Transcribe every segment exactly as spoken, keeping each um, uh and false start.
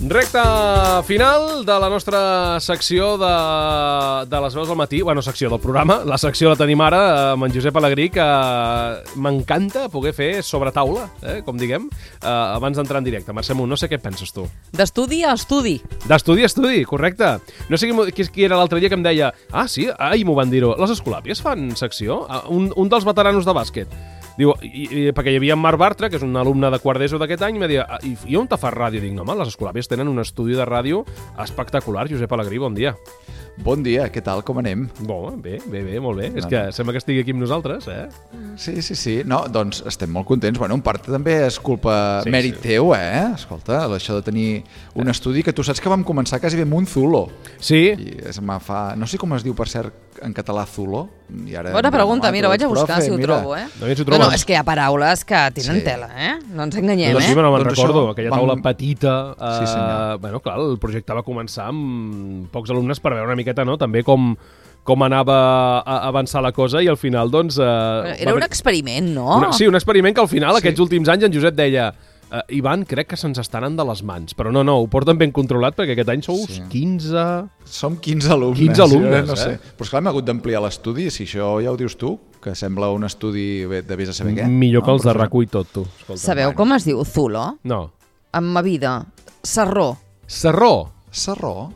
Recta final de la nostra secció de, de les veus del matí, bueno, secció del programa, la secció la tenim ara amb en Josep Alegrí, que m'encanta poder fer sobre taula, eh, com diguem, eh, abans d'entrar en directe. Mercè Munt, no sé què penses tu. D'estudi a estudi. D'estudi a estudi, correcte. No sé qui, qui era l'altre dia que em deia, ah, sí, ahir m'ho van dir-ho, les Escolàpies fan secció? Un, un dels veteranos de bàsquet. Diu, i, i, perquè hi havia en Marc Bartra, que és un alumne de quart d'ESO d'aquest any, i em deia, i, i on te fas ràdio? Dic, no, home, les Escolàpies tenen un estudi de ràdio espectacular. Josep Alegrí, bon dia. Bon dia, què tal, com anem? Bon, bé, bé, bé, molt bé. No, és que no. Sembla que estigui aquí amb nosaltres, eh? Sí, sí, sí. No, doncs estem molt contents. Bueno, en part també és culpa, sí, mèrit sí. teu, eh? Escolta, això de tenir un estudi que tu saps que vam començar quasi bé amb un Zulo. Sí. I es fa... No sé com es diu, per cert, en català Zulo. I ara Bona pregunta, mira, ho vaig a buscar, profe, si ho mira. trobo, eh? No, si ho no, no, és que hi ha paraules que tenen sí. tela, eh? No ens enganyem, doncs, eh? Sí, no me'n doncs recordo, això, aquella taula vam... petita. Eh, sí, senyor. Bueno, clar, el projecte va començar amb pocs alumnes per veure una miqueta, no?, també com... com anava a avançar la cosa, i al final, doncs... Eh, Era un experiment, no? Una, sí, un experiment que al final, sí. aquests últims anys, en Josep deia uh, Ivan, crec que se'ns estan anant de les mans, però no, no, ho porten ben controlat, perquè aquest any sou sí. quinze... Som quinze alumnes. quinze alumnes, no sé. eh? Però esclar, hem hagut d'ampliar l'estudi, si això ja ho dius tu, que sembla un estudi de vés a saber què. Millor que no, els de RAC u i tot, tu. Escolta, Sabeu bueno. com es diu Zulo? No. En ma vida. Sarró. Sarró? Sarró?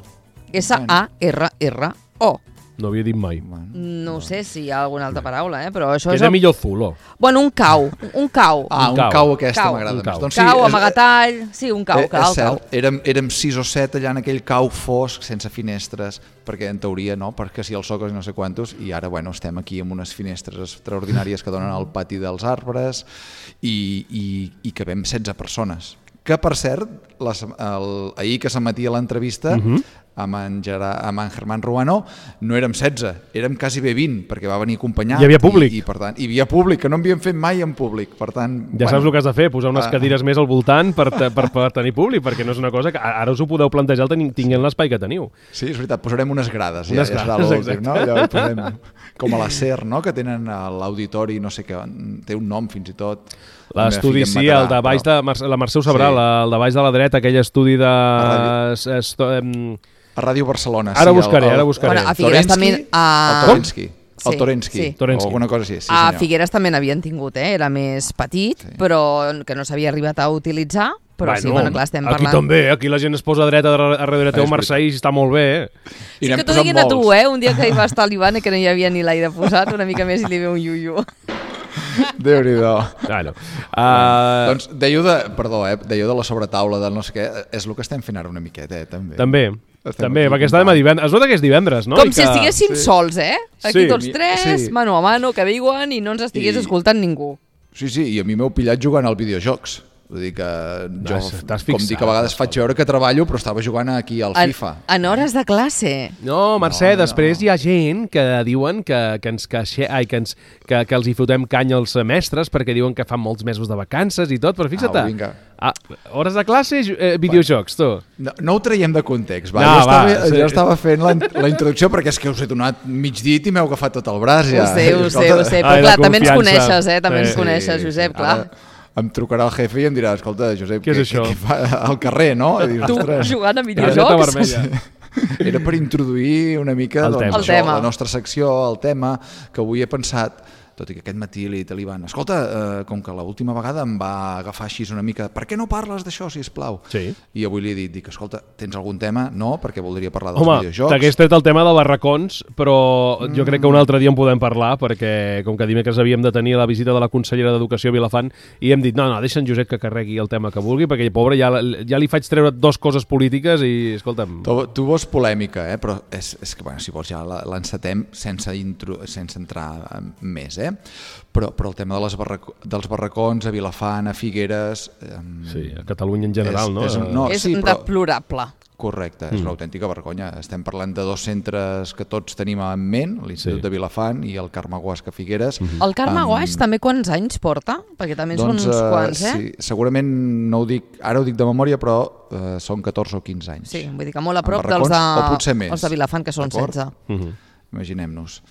S A R R O. No havia dit mai. No sé si hi ha alguna altra paraula, eh? Però això que és... era el... millor Zulo. Bueno, un cau. Un cau. Ah, un cau, cau aquesta cau. m'agrada més. Doncs sí, cau, és... amagatall... Sí, un cau, eh, cau, és cert, cau. Érem, érem sis o set allà en aquell cau fosc, sense finestres, perquè en teoria, no?, perquè si els socos i no sé quantos, i ara, bueno, estem aquí amb unes finestres extraordinàries que donen al pati dels arbres, i, i, i que vam setze persones. Que, per cert, les, el, ahir que s'emetia l'entrevista, uh-huh. amb en, Gerard, amb en Germán Ruano, no érem setze, érem quasi bé vint, perquè va venir acompanyat. Hi havia públic. I, i, per tant, hi havia públic, que no havíem fet mai en públic. Per tant, ja bueno, saps el que has de fer, posar unes uh, cadires més al voltant per, per, per tenir públic, perquè no és una cosa que ara us ho podeu plantejar tinguent l'espai que teniu. Sí, és veritat, posarem unes grades. Unes ja, grades, ja serà no? Allò posem, com a la SER, no?, que tenen a l'auditori, no sé què, té un nom fins i tot. L'estudi, sí, el de baix de... La Mercè ho sabrà, sí. el de baix de la dreta, aquell estudi de... A Ràdio Barcelona. Ara sí, buscaré, el, el, ara buscaré. Bueno, a Figueres també... A... El Torensky. Sí, el Torensky, sí. o alguna cosa així. Sí, a senyor. Figueres també n'havien tingut, eh? Era més petit, sí. però que no s'havia arribat a utilitzar. Però bueno, sí, bueno, clar, estem aquí parlant... Aquí també, aquí la gent es posa dreta a darrere teu Mercè i està molt bé, eh? Sí que t'ho diguin a tu, eh? Un dia que hi va estar l'Ivan i que no hi havia ni l'aire posat, una mica més i li ve un iu-iu. Déu-n'hi-do. Bueno, uh... doncs dèieu de, perdó, eh, dèieu de la sobretaula del no sé què, és el que estem fent ara una miqueta, eh, també. També, estem també, perquè estàvem a divendres. Es nota que és divendres, no? Com I si que... estiguéssim sí. sols, eh? Aquí sí. tots tres, sí. mano a mano, que diuen i no ens estigués I... escoltant ningú. Sí, sí, i a mi m'heu pillat jugant als videojocs. Vull dir que jo, fixat, com dic, a vegades faig veure que treballo, però estava jugant aquí al en, FIFA. En hores de classe. No, Mercè, no, després no. hi ha gent que diuen que, que, ens, que, ai, que, ens, que, que els hi fotem canya als mestres perquè diuen que fan molts mesos de vacances i tot, però fixa't, ah, ah, hores de classe, eh, videojocs, tu. No, no ho traiem de context, va. No, jo, va, estava, sí. jo estava fent la, la introducció perquè és que us he donat mig dit i m'heu agafat tot el braç. Ja. Ho sé, ho sé, ho sé, però ai, clar, també ens coneixes, eh? També sí, ens coneixes, Josep, clar. Ara em trucarà el jefe i em dirà, escolta, Josep, què és això? Què fa al carrer, no? I dius, tu jugant a videojocs? Era per introduir una mica el doncs, tema. Això, la nostra secció, el tema, que avui he pensat, tot i que aquest matí li he dit a l'Ivan, escolta, eh, com que l'última vegada em va agafar així una mica, per què no parles d'això, sisplau? Sí. I avui li he dit, dic, escolta, tens algun tema? No, perquè voldria parlar dels Home, videojocs. Home, t'hagués tret el tema de barracons, però mm. jo crec que un altre dia en podem parlar, perquè com que dimecres havíem de tenir la visita de la consellera d'Educació a Vilafant, i hem dit, no, no, deixa en Josep que carregui el tema que vulgui, perquè, pobre, ja, ja li faig treure dos coses polítiques i, escolta'm... Tu, tu vols polèmica, eh? Però és, és que, bueno, si vols ja l'encetem sense, intro, sense entrar més, eh? Però, però el tema de les barrac dels barracons a Vilafant, a Figueres... Eh, sí, a Catalunya en general, és, no? És, no, és sí, però... deplorable. Correcte, és mm. una autèntica vergonya. Estem parlant de dos centres que tots tenim en ment, l'Institut sí. de Vilafant i el Carme Guasca Figueres. Mm -hmm. El Carme Guasca um, també quants anys porta? Perquè també doncs, són uns quants, eh? Sí, segurament no ho dic, ara ho dic de memòria, però uh, són catorze o quinze anys. Sí, vull dir que molt a prop dels de, o potser més. els de Vilafant, que són setze. Mm -hmm. Imaginem-nos.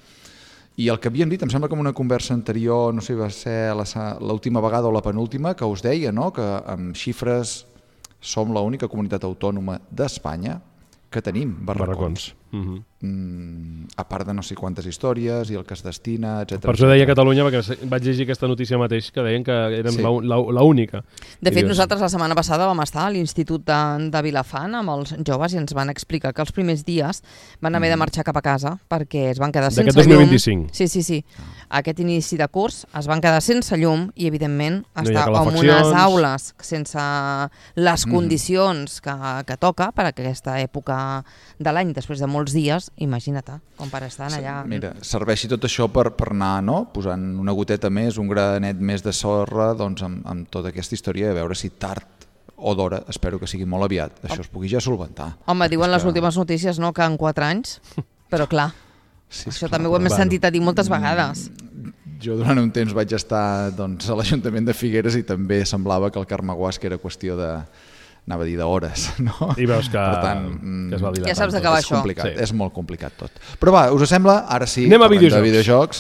I el que havíem dit, em sembla que en una conversa anterior, no sé si va ser l'última vegada o la penúltima, que us deia, no?, que amb xifres som l'única comunitat autònoma d'Espanya que tenim barracons. Barracons. Uh-huh. Mm, a part de no sé quantes històries i el que es destina, etcètera. Per això deia Catalunya, perquè vaig llegir aquesta notícia mateix, que deien que érem sí. l'única. De fet, nosaltres la setmana passada vam estar a l'Institut de, de Vilafant amb els joves i ens van explicar que els primers dies van haver de marxar cap a casa perquè es van quedar sense llum. D'aquest dos mil vint-i-cinc. Sí, sí, sí. Aquest inici de curs es van quedar sense llum i, evidentment, no estar en unes aules sense les condicions que, que toca per a aquesta època de l'any, després de molts dies, imagina't, com per estar allà... Mira, serveixi tot això per, per anar, no?, posant una goteta més, un granet més de sorra, doncs amb, amb tota aquesta història, a veure si tard o d'hora, espero que sigui molt aviat, això es pugui ja solventar. Home, diuen les últimes notícies, no?, que en quatre anys, però clar, sí, això clar, també ho hem bueno. sentit a dir moltes vegades. Jo durant un temps vaig estar doncs, a l'Ajuntament de Figueres i també semblava que el Carmeguasc era qüestió de... anava a dir d'hores, no? I veus que, per tant, que es va dilatar. Ja saps d'acabar això. Complicat, sí. És molt complicat tot. Però va, us sembla? Ara sí, anem a videojocs. De videojocs.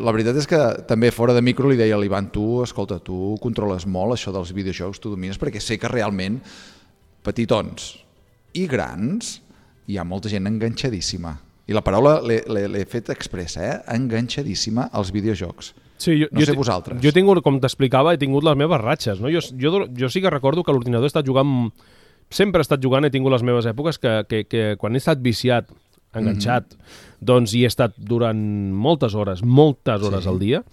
La veritat és que també fora de micro li deia a l'Ivan, tu, escolta, tu controles molt això dels videojocs, tu domines, perquè sé que realment petitons i grans hi ha molta gent enganxadíssima. I la paraula l'he fet expressa, eh? Enganxadíssima als videojocs. Sí, jo, no sé jo, vosaltres. Jo he tingut, com t'explicava, he tingut les meves ratxes. No? Jo, jo, jo sí que recordo que l'ordinador he estat jugant... Sempre he estat jugant, he tingut les meves èpoques que, que, que quan he estat viciat, enganxat, mm-hmm. doncs hi he estat durant moltes hores, moltes hores sí. al dia.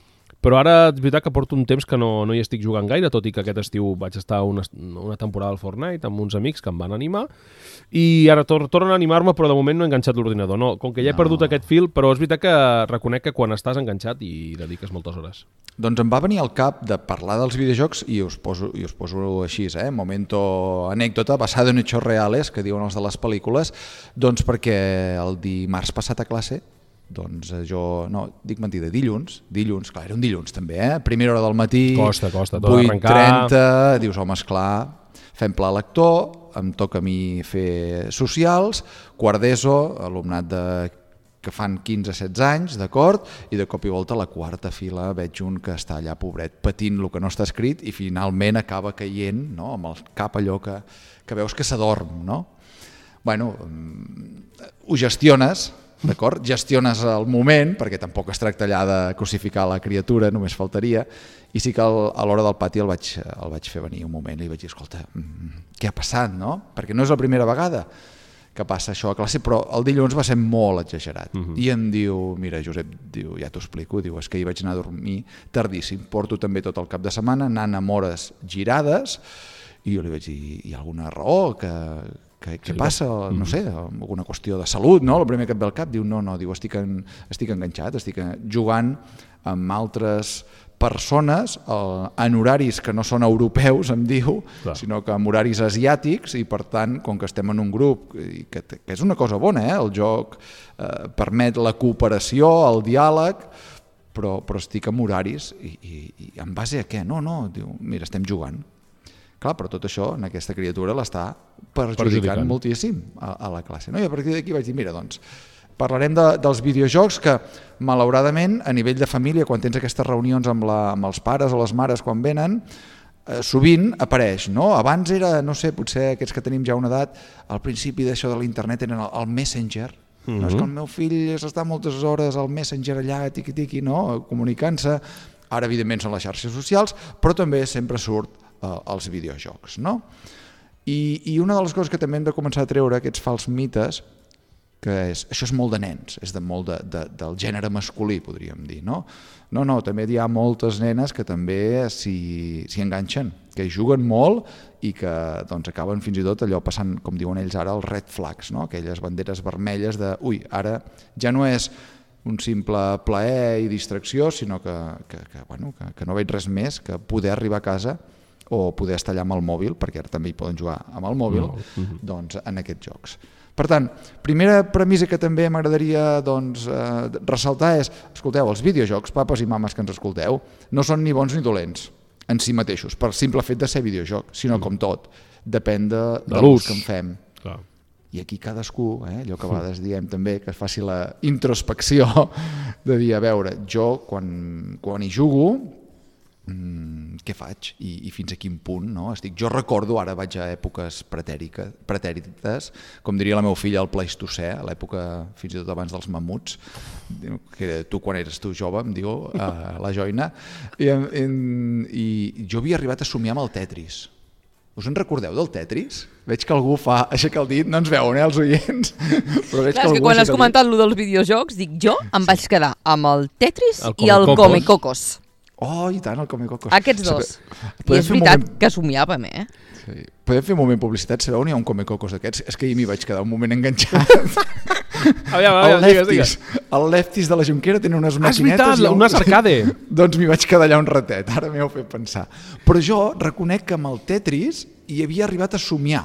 Però ara és veritat que porto un temps que no, no hi estic jugant gaire, tot i que aquest estiu vaig estar una, una temporada al Fortnite amb uns amics que em van animar i ara tor torno a animar-me, però de moment no he enganxat l'ordinador. No, com que ja he no. perdut aquest fil, però és veritat que reconec que quan estàs enganxat hi dediques moltes hores. Doncs em va venir al cap de parlar dels videojocs i us poso, i us poso així, eh? Momento anècdota, basada en hechos reales, que diuen els de les pel·lícules, doncs perquè el dimarts passat a classe doncs jo, no, dic mentida, dilluns, dilluns, clar, era un dilluns també, eh? Primera hora del matí, costa, costa, tot vuit arrencar. trenta, dius, home, esclar, fem pla lector, em toca a mi fer socials, quart d'ESO, alumnat de, que fan quinze setze anys, d'acord, i de cop i volta a la quarta fila veig un que està allà, pobret, patint el que no està escrit i finalment acaba caient, no?, amb el cap allò que, que veus que s'adorm, no? Bueno, ho gestiones, d'acord? Gestiones el moment, perquè tampoc es tracta allà de crucificar la criatura, només faltaria, i sí que el, a l'hora del pati el vaig, el vaig fer venir un moment i li vaig dir, escolta, què ha passat, no? Perquè no és la primera vegada que passa això a classe, però el dilluns va ser molt exagerat. Uh-huh. I em diu, mira, Josep, diu, ja t'ho explico, diu, és que hi vaig anar a dormir tardíssim, porto també tot el cap de setmana anant amb hores girades, i jo li vaig dir, hi ha alguna raó que... Què, què passa? No sé, alguna qüestió de salut, no? El primer que et ve al cap, diu, no, no, diu, estic, en, estic enganxat, estic jugant amb altres persones en horaris que no són europeus, em diu, clar, sinó que en horaris asiàtics, i per tant, com que estem en un grup, que, que és una cosa bona, eh? El joc eh, permet la cooperació, el diàleg, però, però estic en horaris, i, i, i en base a què? No, no, diu, mira, estem jugant. Clar, però tot això en aquesta criatura l'està perjudicant, perjudicant moltíssim a, a la classe. No? I a partir d'aquí vaig dir, mira, doncs, parlarem de, dels videojocs que, malauradament, a nivell de família, quan tens aquestes reunions amb, la, amb els pares o les mares quan venen, eh, sovint apareix, no? Abans era, no sé, potser aquests que tenim ja una edat, al principi d'això de l'internet eren el, el Messenger, mm-hmm. no? És que el meu fill s'està moltes hores al Messenger allà, tiqui-tiqui, no? Comunicant-se. Ara, evidentment, són les xarxes socials, però també sempre surt als videojocs, no? I, i una de les coses que també hem de començar a treure, aquests fals mites, que és, això és molt de nens, és de molt de, de, del gènere masculí, podríem dir, no? No, no, també hi ha moltes nenes que també s'hi enganxen, que juguen molt i que doncs, acaben fins i tot allò passant, com diuen ells ara, els red flags, no? Aquelles banderes vermelles de, ui, ara ja no és un simple plaer i distracció, sinó que, que, que, bueno, que, que no veig res més que poder arribar a casa o poder estar allà amb el mòbil, perquè ara també hi poden jugar amb el mòbil, no. uh-huh. doncs, en aquests jocs. Per tant, primera premissa que també m'agradaria doncs, eh, ressaltar és, escolteu, els videojocs, papes i mames que ens escolteu, no són ni bons ni dolents en si mateixos, per simple fet de ser videojoc, sinó com tot, depèn de, de, de l'ús que en fem. Clar. I aquí cadascú, eh, allò que a vegades diem també, que es faci la introspecció de dir, a veure, jo quan, quan hi jugo, què faig i, i fins a quin punt, no? Estic, jo recordo, ara vaig a èpoques pretèrites, com diria la meva filla, el Pleistocè, a l'època fins i tot abans dels mamuts, que tu quan eres tu jove, em diu, a la joina, i, i, i jo havia arribat a somiar amb el Tetris. Us en recordeu del Tetris? Veig que algú fa aixeca el dit, no ens veuen, eh, els oients. Però veig Clar, que, que quan has comentat allò dels videojocs, dic jo em vaig quedar amb el Tetris el i el Comecocos. Oh, i tant, el Comecocos. Aquests dos. I és veritat moment... que somiàvem, eh? Sí. Podem fer un moment publicitat? Sabeu on hi ha un Comecocos d'aquests? És que ahir m'hi vaig quedar un moment enganxat. aviam, aviam, el digues, Lefties, digues. El Lefties de la Jonquera tenen unes Ah, és maquinetes... veritat, un arcade. Doncs m'hi vaig quedar allà un ratet, ara m'heu fet pensar. Però jo reconec que amb el Tetris hi havia arribat a somiar.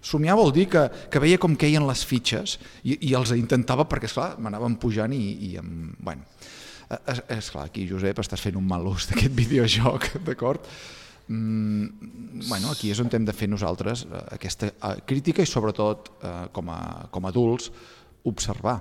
Somiar vol dir que, que veia com queien les fitxes i, i els intentava perquè, esclar, m'anaven pujant i, i em, bueno... És, és clar, aquí, Josep, estàs fent un mal ús d'aquest videojoc, d'acord? Mm, bueno, aquí és on hem de fer nosaltres eh, aquesta eh, crítica i sobretot eh, com, a, com a adults observar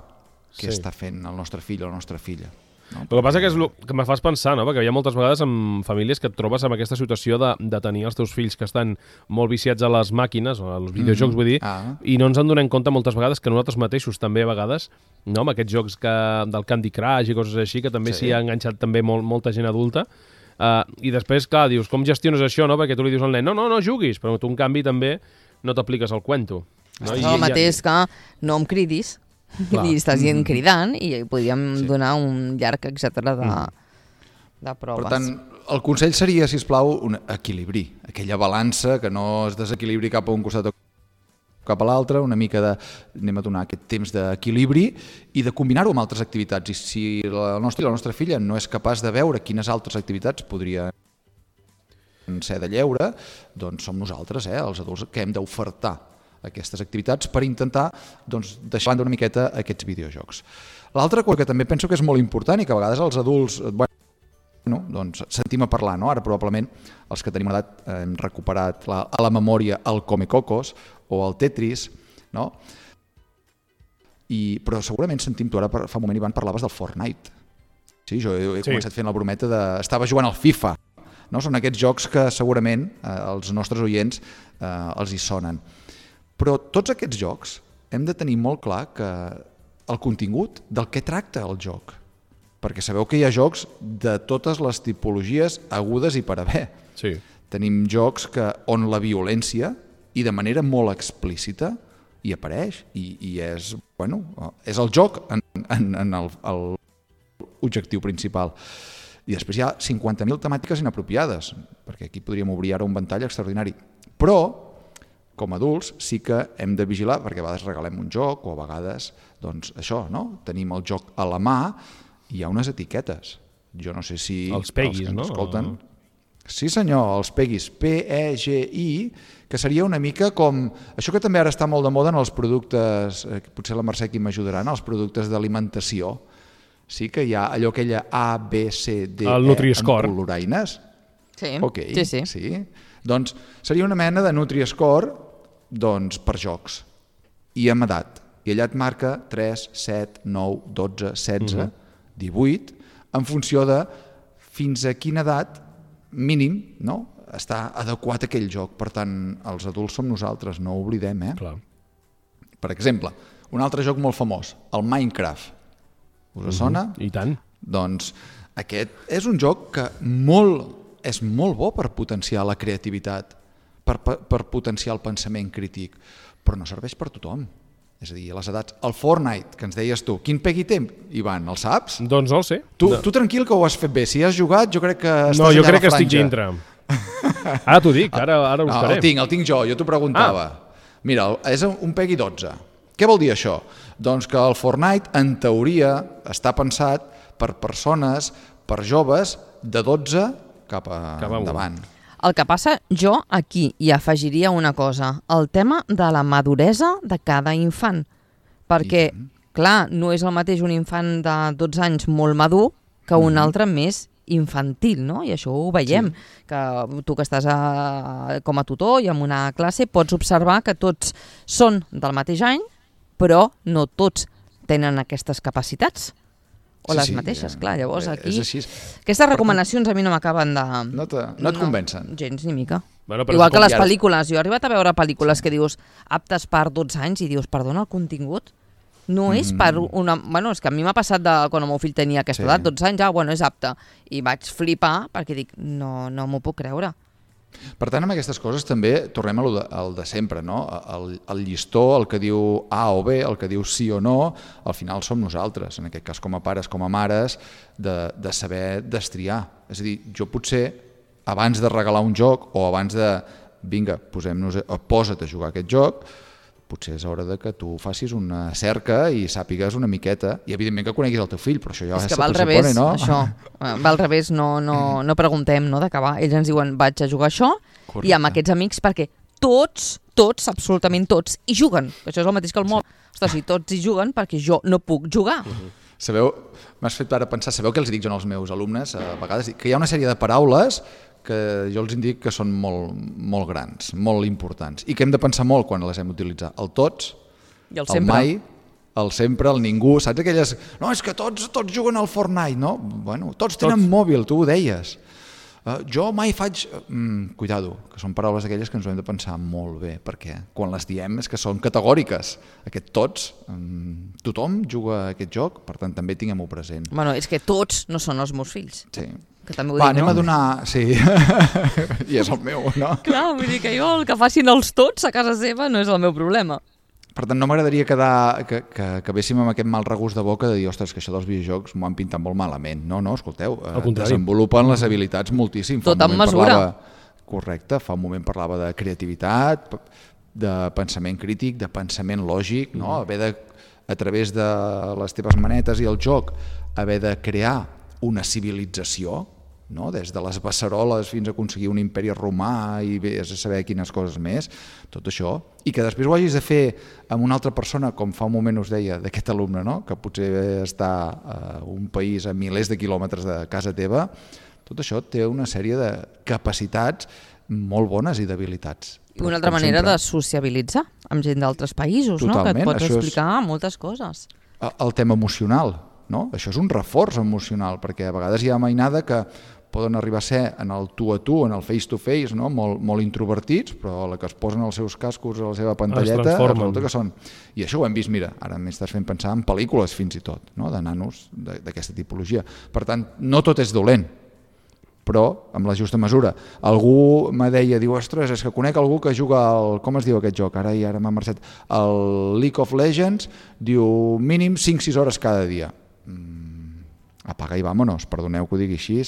què Sí. està fent el nostre fill o la nostra filla. No? El que passa que és lo que me fas pensar, no? Perquè hi ha moltes vegades en famílies que et trobes amb aquesta situació de, de tenir els teus fills que estan molt viciats a les màquines, o als videojocs, mm-hmm. vull dir, Ah. i no ens en donem compte moltes vegades que nosaltres mateixos també a vegades, no? Amb aquests jocs que, del Candy Crush i coses així, que també s'hi Sí. ha enganxat també molt, molta gent adulta, uh, i després, clar, dius, com gestiones això, no? Perquè tu li dius al nen, no, no, no juguis, però tu en canvi també no t'apliques al cuento. No? És el mateix que no em cridis, Clar. i estàs dient cridant i podríem sí. donar un llarg etcètera de, de proves. Per tant, el consell seria, si us plau, un equilibri, aquella balança que no es desequilibri cap a un costat o cap a l'altre, una mica de, anem a donar aquest temps d'equilibri i de combinar-ho amb altres activitats. I si la nostra, la nostra filla no és capaç de veure quines altres activitats podria ser de lleure, doncs som nosaltres, eh, els adults, que hem d'ofertar aquestes activitats per intentar doncs, deixar una miqueta aquests videojocs. L'altra cosa que també penso que és molt important i que a vegades els adults bueno, doncs, sentim a parlar, no? Ara probablement els que tenim edat hem recuperat la, a la memòria el Comecocos o el Tetris, no? I, però segurament sentim, tu ara fa un moment Ivan parlaves del Fortnite. Sí, jo he, he sí. començat fent la brometa de... Estava jugant al FIFA, no? Són aquests jocs que segurament eh, els nostres oients eh, els hi sonen. Però tots aquests jocs hem de tenir molt clar que el contingut del que tracta el joc. Perquè sabeu que hi ha jocs de totes les tipologies agudes i per haver. Sí. Tenim jocs que, on la violència, i de manera molt explícita, hi apareix. I, i és, bueno, és el joc en, en, en el, el objectiu principal. I després hi ha cinquanta mil temàtiques inapropiades, perquè aquí podríem obrir ara un ventall extraordinari. Però com a adults sí que hem de vigilar, perquè a vegades regalem un joc o a vegades, doncs això, no? Tenim el joc a la mà i hi ha unes etiquetes. Jo no sé si els peguis, els que ens no? escolten... Sí senyor, els peguis, P E G I, que seria una mica com... Això que també ara està molt de moda en els productes, eh, potser la Mercè aquí m'ajudarà, en els productes d'alimentació. Sí que hi ha allò aquella A, B, C, D, el E Nutri-Score. amb coloraines. Sí, Ok, sí, sí. sí. Doncs seria una mena de Nutri-Score doncs, per jocs i amb edat. I allà et marca tres, set, nou, dotze, setze, uh-huh. divuit, en funció de fins a quina edat mínim, no? Està adequat aquell joc. Per tant, els adults som nosaltres, no ho oblidem, eh? Clar. Per exemple, un altre joc molt famós, el Minecraft. Us uh-huh. sona? I tant. Doncs aquest és un joc que molt, és molt bo per potenciar la creativitat, per, per, per potenciar el pensament crític, però no serveix per tothom. És a dir, a les edats... El Fortnite, que ens deies tu, quin pegui té, Ivan, el saps? Doncs no el sé. Tu, no. tu tranquil que ho has fet bé. Si has jugat, jo crec que estàs no, allà jo crec a la que estic franja. dintre. Ara t'ho dic, ara, ara ho no, buscarem. el tinc, el tinc jo, jo t'ho preguntava. Ah. Mira, és un pegui dotze. Què vol dir això? Doncs que el Fortnite, en teoria, està pensat per persones, per joves, de dotze cap a Cap a endavant. El que passa, jo aquí hi afegiria una cosa, el tema de la maduresa de cada infant. Perquè, I... clar, no és el mateix un infant de dotze anys molt madur que un mm-hmm. altre més infantil, no? I això ho veiem, sí. que tu que estàs a, com a tutor i en una classe pots observar que tots són del mateix any, però no tots tenen aquestes capacitats. o Sí, les sí, mateixes, eh, clar. Llavors eh, aquí... és així. Aquestes recomanacions a mi no m'acaben de... No, te, no et convencen. Gens ni mica. Bueno, però Igual és com que les ara- pel·lícules. Jo he arribat a veure pel·lícules que dius aptes per dotze anys i dius, perdona, el contingut no és per una... Bueno, és que a mi m'ha passat de quan el meu fill tenia aquesta Sí. edat, dotze anys, ah, bueno, és apte. I vaig flipar perquè dic, no, no m'ho puc creure. Per tant, amb aquestes coses també tornem a lo de, al de sempre, no? El, el llistó, el que diu A o B, el que diu sí o no, al final som nosaltres, en aquest cas com a pares, com a mares, de, de saber destriar. És a dir, jo potser, abans de regalar un joc o abans de, vinga, posem-nos, posa't a jugar aquest joc, potser és hora de que tu facis una cerca i sàpigues una miqueta, i evidentment que coneguis el teu fill, però això ja És que se va al pressupone, revés, no? això. Va al revés, no, no, no preguntem, no, d'acabar. Ells ens diuen, vaig a jugar això, Correcte. i amb aquests amics, perquè tots, tots, absolutament tots, hi juguen. Això és el mateix que el mòbil. Ostres, si tots hi juguen, perquè jo no puc jugar. Sabeu, m'has fet ara pensar, sabeu què els dic jo als meus alumnes a vegades? Que hi ha una sèrie de paraules que jo els indico que són molt, molt grans, molt importants, i que hem de pensar molt quan les hem d'utilitzar. El tots, I el el sempre. mai, el sempre, el ningú, saps aquelles... No, és que tots, tots juguen al Fortnite, no? Bueno, tots tenen Tots. mòbil, tu ho deies. Uh, jo mai faig... Mm, cuidado, que són paraules aquelles que ens ho hem de pensar molt bé, perquè quan les diem és que són categòriques. Aquest tots, um, tothom juga a aquest joc, per tant també tinguem-ho present. Bueno, és que tots no són els meus fills. Sí. Que també ho Va, dic, anem no? a donar... Sí, i és el meu, no? Clar, vull dir que jo el que facin els tots a casa seva no és el meu problema. Per tant, no m'agradaria quedar, que, que acabéssim amb aquest mal regust de boca de dir, ostres, que això dels videojocs m'ho han pintat molt malament. No, no, escolteu, eh, Al contrari. desenvolupen les habilitats moltíssim. Fa Tot un amb moment mesura. Parlava, correcte, fa un moment parlava de creativitat, de pensament crític, de pensament lògic, no? Haver de, a través de les teves manetes i el joc, haver de crear una civilització, no? Des de les beceroles fins a aconseguir un imperi romà i vés a saber quines coses més, tot això, i que després ho hagis de fer amb una altra persona, com fa un moment us deia d'aquest alumne, no? Que potser està a un país a milers de quilòmetres de casa teva, tot això té una sèrie de capacitats molt bones i d'habilitats. I una altra Com manera sempre, de sociabilitzar amb gent d'altres països, no? Que et Totalment, pots això és- explicar moltes coses. el tema emocional, no? Això és un reforç emocional, perquè a vegades hi ha mainada que poden arribar a ser en el tu a tu, en el face to face, no? molt, molt introvertits, però a la que es posen els seus cascos a la seva pantalleta, transformen. resulta que són... I això ho hem vist, mira, ara m'estàs fent pensar en pel·lícules fins i tot, no? De nanos de- d'aquesta tipologia. Per tant, no tot és dolent, però amb la justa mesura. Algú me deia, diu, ostres, és que conec algú que juga al... Com es diu aquest joc? Ara i ara m'ha marxat. El League of Legends, diu, mínim cinc sis hores cada dia. Mm, apaga i vámonos, perdoneu que ho digui així,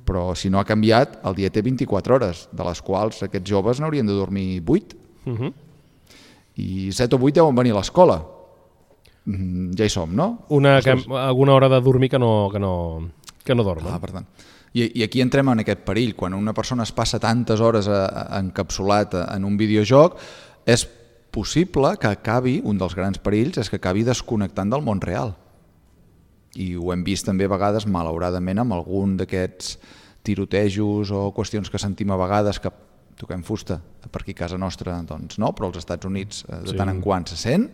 però si no ha canviat, el dia té vint-i-quatre hores, de les quals aquests joves n'haurien de dormir vuit, Uh -huh. i set o vuit deuen venir a l'escola. Mm, ja hi som, no? Una, que, Ostres. alguna hora de dormir que no, que no, que no dormen. Ah, per tant. I, I aquí entrem en aquest perill. Quan una persona es passa tantes hores a, a, encapsulat en un videojoc, és possible que acabi, un dels grans perills, és que acabi desconnectant del món real. I ho hem vist també a vegades, malauradament, amb algun d'aquests tirotejos o qüestions que sentim a vegades que toquem fusta per aquí a casa nostra, doncs no, però als Estats Units eh, de Sí. tant en quant se sent,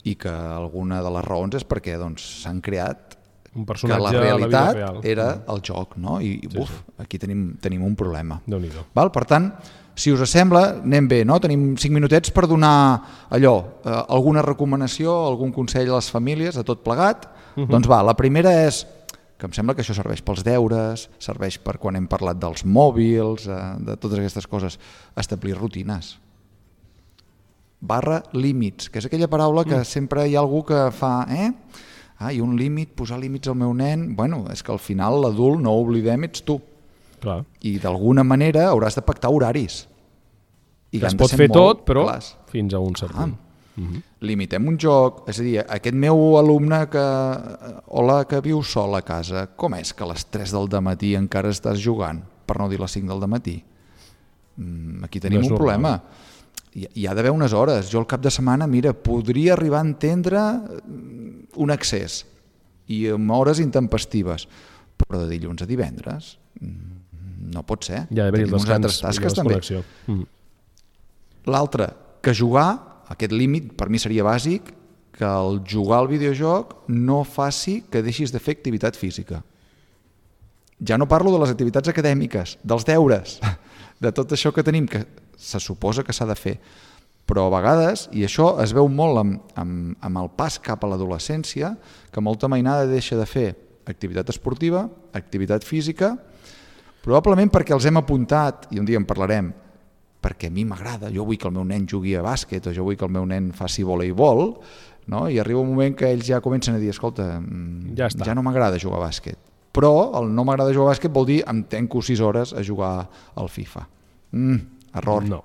i que alguna de les raons és perquè doncs, s'han creat Un que personatge la a la vida realitat real. era el joc, no? I Sí, buf, sí. aquí tenim, tenim un problema. Déu-n'hi-do. Val? Per tant, si us sembla, anem bé, no? Tenim cinc minutets per donar allò, eh, alguna recomanació, algun consell a les famílies, de tot plegat. Uh -huh. Doncs va, la primera és, que em sembla que això serveix pels deures, serveix per quan hem parlat dels mòbils, eh, de totes aquestes coses, establir rutines. Barra límits, que és aquella paraula que mm. sempre hi ha algú que fa, eh? Ah, i un límit, posar límits al meu nen... Bueno, és que al final l'adult, no ho oblidem, ets tu. Clar. I d'alguna manera hauràs de pactar horaris. I Que es han de pot ser fer molt tot, però clars. fins a un cert Ah, punt. Uh -huh. limitem un joc, és a dir, aquest meu alumne que, hola, que viu sol a casa, com és que a les tres del dematí encara estàs jugant, per no dir les cinc del dematí? Mm, aquí tenim No és un normal. problema. Hi, hi ha d'haver unes hores. Jo al cap de setmana, mira, podria arribar a entendre mm, un excés i amb hores intempestives, però de dilluns a divendres mm, no pot ser. Hi ha d'haver-hi el Tenim unes altres descans i tasques la també. desconnexió. Mm. L'altre, que jugar, aquest límit per mi seria bàsic, que el jugar al videojoc no faci que deixis de fer activitat física. Ja no parlo de les activitats acadèmiques, dels deures, de tot això que tenim, que se suposa que s'ha de fer. Però a vegades, i això es veu molt amb, amb, amb el pas cap a l'adolescència, que molta mainada deixa de fer activitat esportiva, activitat física, probablement perquè els hem apuntat, i un dia en parlarem, perquè a mi m'agrada, jo vull que el meu nen jugui a bàsquet o jo vull que el meu nen faci voleibol, no? I arriba un moment que ells ja comencen a dir, escolta, ja, ja no m'agrada jugar a bàsquet. Però el no m'agrada jugar a bàsquet vol dir em tenco sis hores a jugar al FIFA. Mm, error. No.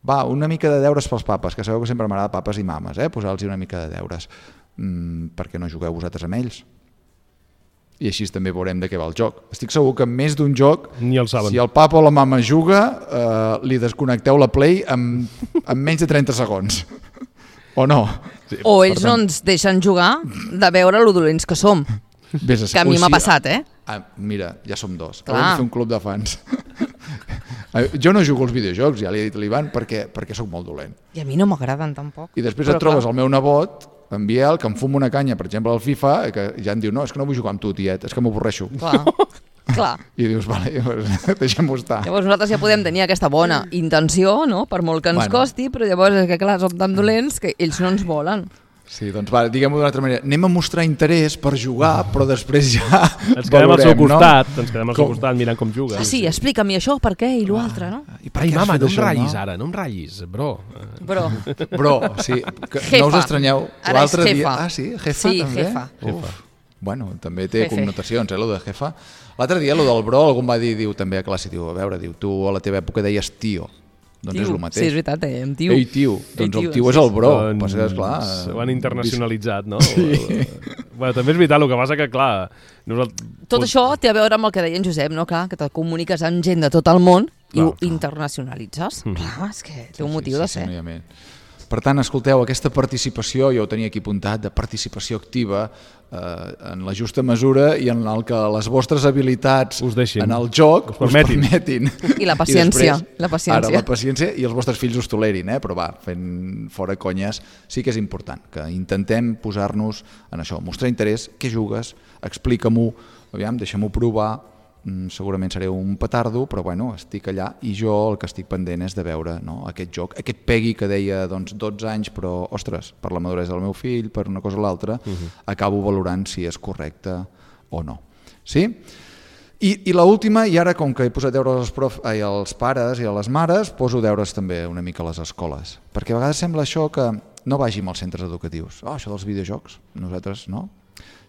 Va, una mica de deures pels papes, que sabeu que sempre m'agrada papes i mames, eh? Posar-los una mica de deures. Mm, per què no jugueu vosaltres amb ells? I així també veurem de què va el joc. Estic segur que en més d'un joc, ni el saben. Si el papa o la mama juga, eh, li desconnecteu la Play en, en menys de trenta segons. O no? Sí. O ells tant... no ens deixen jugar de veure lo dolents que som. Vés a que a mi m'ha passat, eh? Ah, mira, ja som dos. Clar. Haurem de fer un club de fans. Jo no jugo als videojocs, ja li he dit a l'Ivan, perquè, perquè sóc molt dolent. I a mi no m'agraden tampoc. I després Però et trobes clar. el meu nebot, en Biel, que em fuma una canya, per exemple, al FIFA, que ja em diu, no, és que no vull jugar amb tu, tiet, és que m'avorreixo. Clar, clar. I dius, vale, deixem-ho estar. Llavors nosaltres ja podem tenir aquesta bona intenció, no?, per molt que ens bueno. costi, però llavors és que, clar, som tan dolents que ells no ens volen. Sí, doncs va, diguem-ho d'una altra manera. Anem a mostrar interès per jugar, però després ja ens quedem al seu costat, no? ens quedem al seu costat mirant com juga. Ah, sí, explica'm això, per què, i l'altre, no? I per Ai, mama, no em això, ratllis no? ara, no em ratllis, bro. Bro. Bro, sí, que jefa. No us estranyeu. Ara és jefa. Dia... Ah, sí? Jefa, sí, també? jefa. Uf. Bueno, també té Jefe. connotacions, eh, lo de jefa. L'altre dia, lo del bro, algú em va dir, diu, també a classe, diu, a veure, diu, tu a la teva època deies tio. Doncs tio. és el mateix. Sí, és veritat, eh? Em tio. Ei, tio. Ei, doncs tio. el tio és el bro. Doncs, Passa que, esclar... Ho han internacionalitzat, no? Sí. Bueno, també és veritat, el que passa que, clar... Nosaltres... Tot això té a veure amb el que deia en Josep, no? Clar, que te comuniques amb gent de tot el món i clar, ho clar. internacionalitzes. Mm. Clar, és que té un sí, motiu sí, de ser. Sí, sí, per tant, escolteu, aquesta participació, jo ho tenia aquí apuntat, de participació activa eh, en la justa mesura i en el que les vostres habilitats us deixin. en el joc us permetin. Us permetin. I la paciència. I després, la paciència. Ara, la paciència i els vostres fills us tolerin, eh? Però va, fent fora conyes, sí que és important que intentem posar-nos en això, mostrar interès, què jugues, explica-m'ho, aviam, deixa-m'ho provar, segurament seré un petardo, però bueno, estic allà i jo el que estic pendent és de veure, no, aquest joc, aquest Peggy que deia doncs, dotze anys, però ostres, per la maduresa del meu fill, per una cosa o l'altra, uh-huh. acabo valorant si és correcte o no. Sí? I, i l'última, i ara com que he posat deures als, prof, ai, als pares i a les mares, poso deures també una mica a les escoles, perquè a vegades sembla això que no vagin als centres educatius. Oh, això dels videojocs, nosaltres no.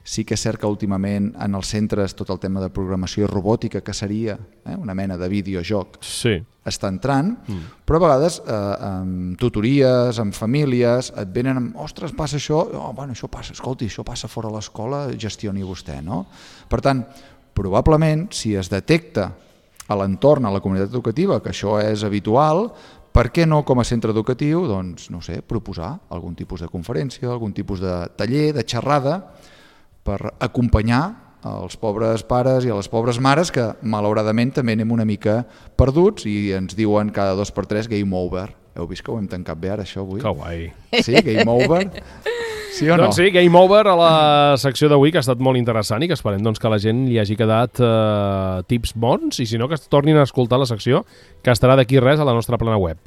Sí que és cert que últimament en els centres tot el tema de programació i robòtica, que seria eh, una mena de videojoc, sí. està entrant, mm. però a vegades eh, amb tutories, amb famílies, et venen amb, ostres, passa això, oh, bueno, això passa, escolti, això passa fora a l'escola, gestioni vostè, no? Per tant, probablement, si es detecta a l'entorn, a la comunitat educativa, que això és habitual, per què no com a centre educatiu, doncs, no sé, proposar algun tipus de conferència, algun tipus de taller, de xerrada, per acompanyar els pobres pares i a les pobres mares que malauradament també anem una mica perduts i ens diuen cada dos per tres game over. Heu vist que ho hem tancat bé ara això avui? Que guai. Sí, game over? Sí o no? Doncs sí, game over a la secció d'avui, que ha estat molt interessant i que esperem doncs, que a la gent li hagi quedat eh, tips bons i si no que es tornin a escoltar la secció que estarà d'aquí res a la nostra plana web.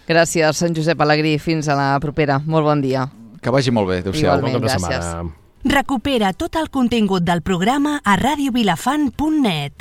Gràcies, en Josep Alegrí. Fins a la propera. Molt bon dia. Que vagi molt bé. Adéu-siau. Igualment, gràcies. Recupera tot el contingut del programa a radio vilafant punt net.